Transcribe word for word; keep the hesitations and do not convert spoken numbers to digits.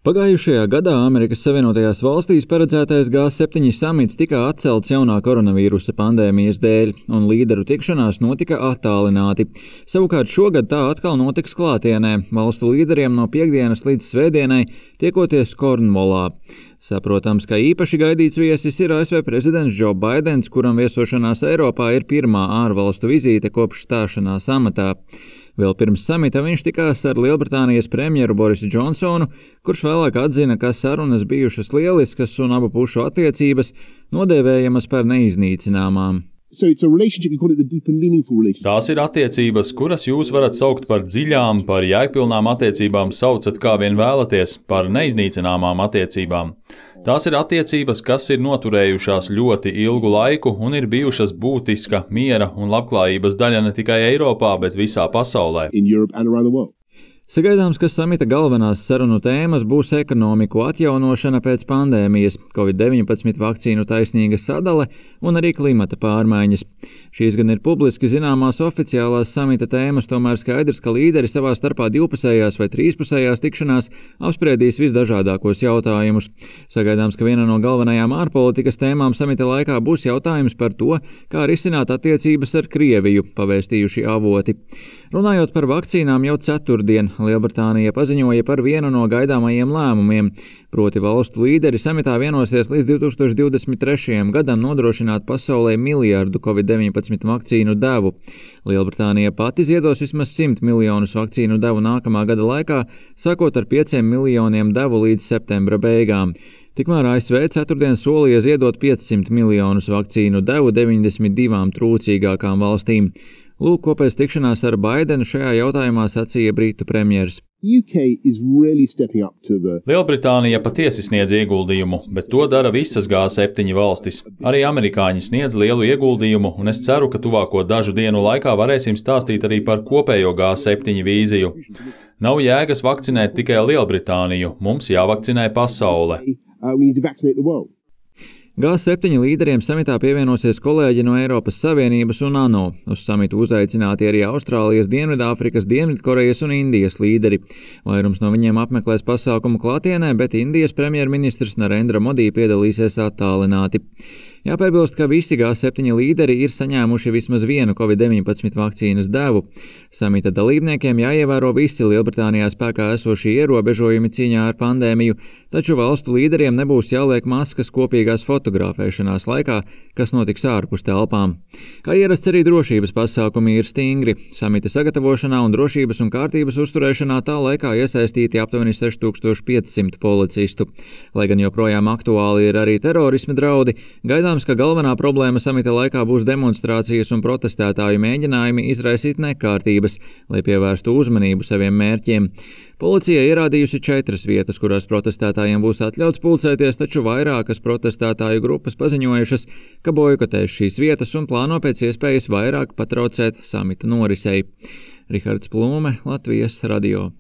Pagājušajā gadā Amerikas Savienotajās valstīs paredzētais G septiņi samits tika atcelts jaunā koronavīrusa pandēmijas dēļ, un līderu tikšanās notika attālināti. Savukārt šogad tā atkal notiks klātienē, valstu līderiem no piektdienas līdz svētdienai tiekoties Kornvolā. Saprotams, ka īpaši gaidīts viesis ir A S V prezidents Džo Baidens, kuram viesošanās Eiropā ir pirmā ārvalstu vizīte kopš stāšanās amatā. Vēl pirms samita viņš tikās ar Lielbritānijas premjeru Borisu Džonsonu, kurš vēlāk atzina, ka sarunas bijušas lieliskas un abu pušu attiecības nodēvējamas par neiznīcināmām. So it's a relationship, you call it the deep and meaningful relationship. Tās ir attiecības, kuras jūs varat saukt par dziļām, par jēgpilnām attiecībām, saucat kā vien vēlaties, par neiznīcināmām attiecībām. Tās ir attiecības, kas ir noturējušās ļoti ilgu laiku un ir bijušas būtiska miera un labklājības daļa ne tikai Eiropā, bet visā pasaulē. In Europe and around the world. Sagaidāms, ka samita galvenās sarunu tēmas būs ekonomiku atjaunošana pēc pandēmijas, covid deviņpadsmit vakcīnu taisnīga sadale un arī klimata pārmaiņas. Šīs gan ir publiski zināmās oficiālās samita tēmas, tomēr skaidrs, ka līderi savā starpā divpusējās vai trīspusējās tikšanās apspriedīs visdažādākos jautājumus. Sagaidāms, ka viena no galvenajām ārpolitikas tēmām samita laikā būs jautājums par to, kā risināt attiecības ar Krieviju, pavēstījuši avoti. Runājot par vakcīnām, jau ceturtdien Lielbritānija paziņoja par vienu no gaidāmajiem lēmumiem, proti valstu līderi samitā vienosies līdz divi tūkstoši divdesmit trešajam gadam nodrošināt pasaulē miljardu covid deviņpadsmit vakcīnu devu. Lielbritānija pati ziedos vismaz simt miljonus vakcīnu devu nākamā gada laikā, sākot ar pieciem miljoniem devu līdz septembra beigām. Tikmēr A S V ceturtdien solīja ziedot piecsimt miljonus vakcīnu devu deviņdesmit divām trūcīgākām valstīm. Lūk, ko pēc tikšanās ar Baidenu šajā jautājumā sacīja Britu premjers. U K is really stepping up to the... Lielbritānija patiesi sniedz ieguldījumu, bet to dara visas G septiņi valstis. Arī amerikāņi sniedz lielu ieguldījumu, un es ceru, ka tuvāko dažu dienu laikā varēsim stāstīt arī par kopējo G septiņi vīziju. Nav jēgas vakcinēt tikai Lielbritāniju, mums jāvakcinē pasaule. Uh, we need to vaccinate the world. G septiņi līderiem samitā pievienosies kolēģi no Eiropas Savienības un ANO. Uz samitu uzaicināti arī Austrālijas, Dienvidāfrikas, Dienvidkorejas un Indijas līderi. Vairums no viņiem apmeklēs pasākumu klātienē, bet Indijas premjerministrs Narendra Modi piedalīsies attālināti. Jāpiebilst, ka visi G septiņi līderi ir saņēmuši vismaz vienu covid deviņpadsmit vakcīnas devu. Samita dalībniekiem jāievēro visi Lielbritānijā spēkā esošie ierobežojumi cīņā ar pandēmiju, taču valstu līderiem nebūs jāliek maskas kopīgās fotografēšanās laikā, kas notiks ārpus telpām. Kā ierasts, arī drošības pasākumi ir stingri. Samita sagatavošanā un drošības un kārtības uzturēšanā tā laikā iesaistīti aptuveni seši tūkstoši piecsimt policistu. Lai gan joprojām aktuāli ir arī terorisma draudi, gaidām, ka galvenā problēma samita laikā būs demonstrācijas un protestētāju mēģinājumi izraisīt nekārtības, lai pievērstu uzmanību saviem mērķiem. Policija ierādījusi četras vietas, kurās protestētājiem būs atļauts pulcēties, taču vairākas protestētāju grupas paziņojušas, ka bojkotēs šīs vietas un plāno pēc iespējas vairāk patraucēt samita norisei. Rihards Plūme, Latvijas radio.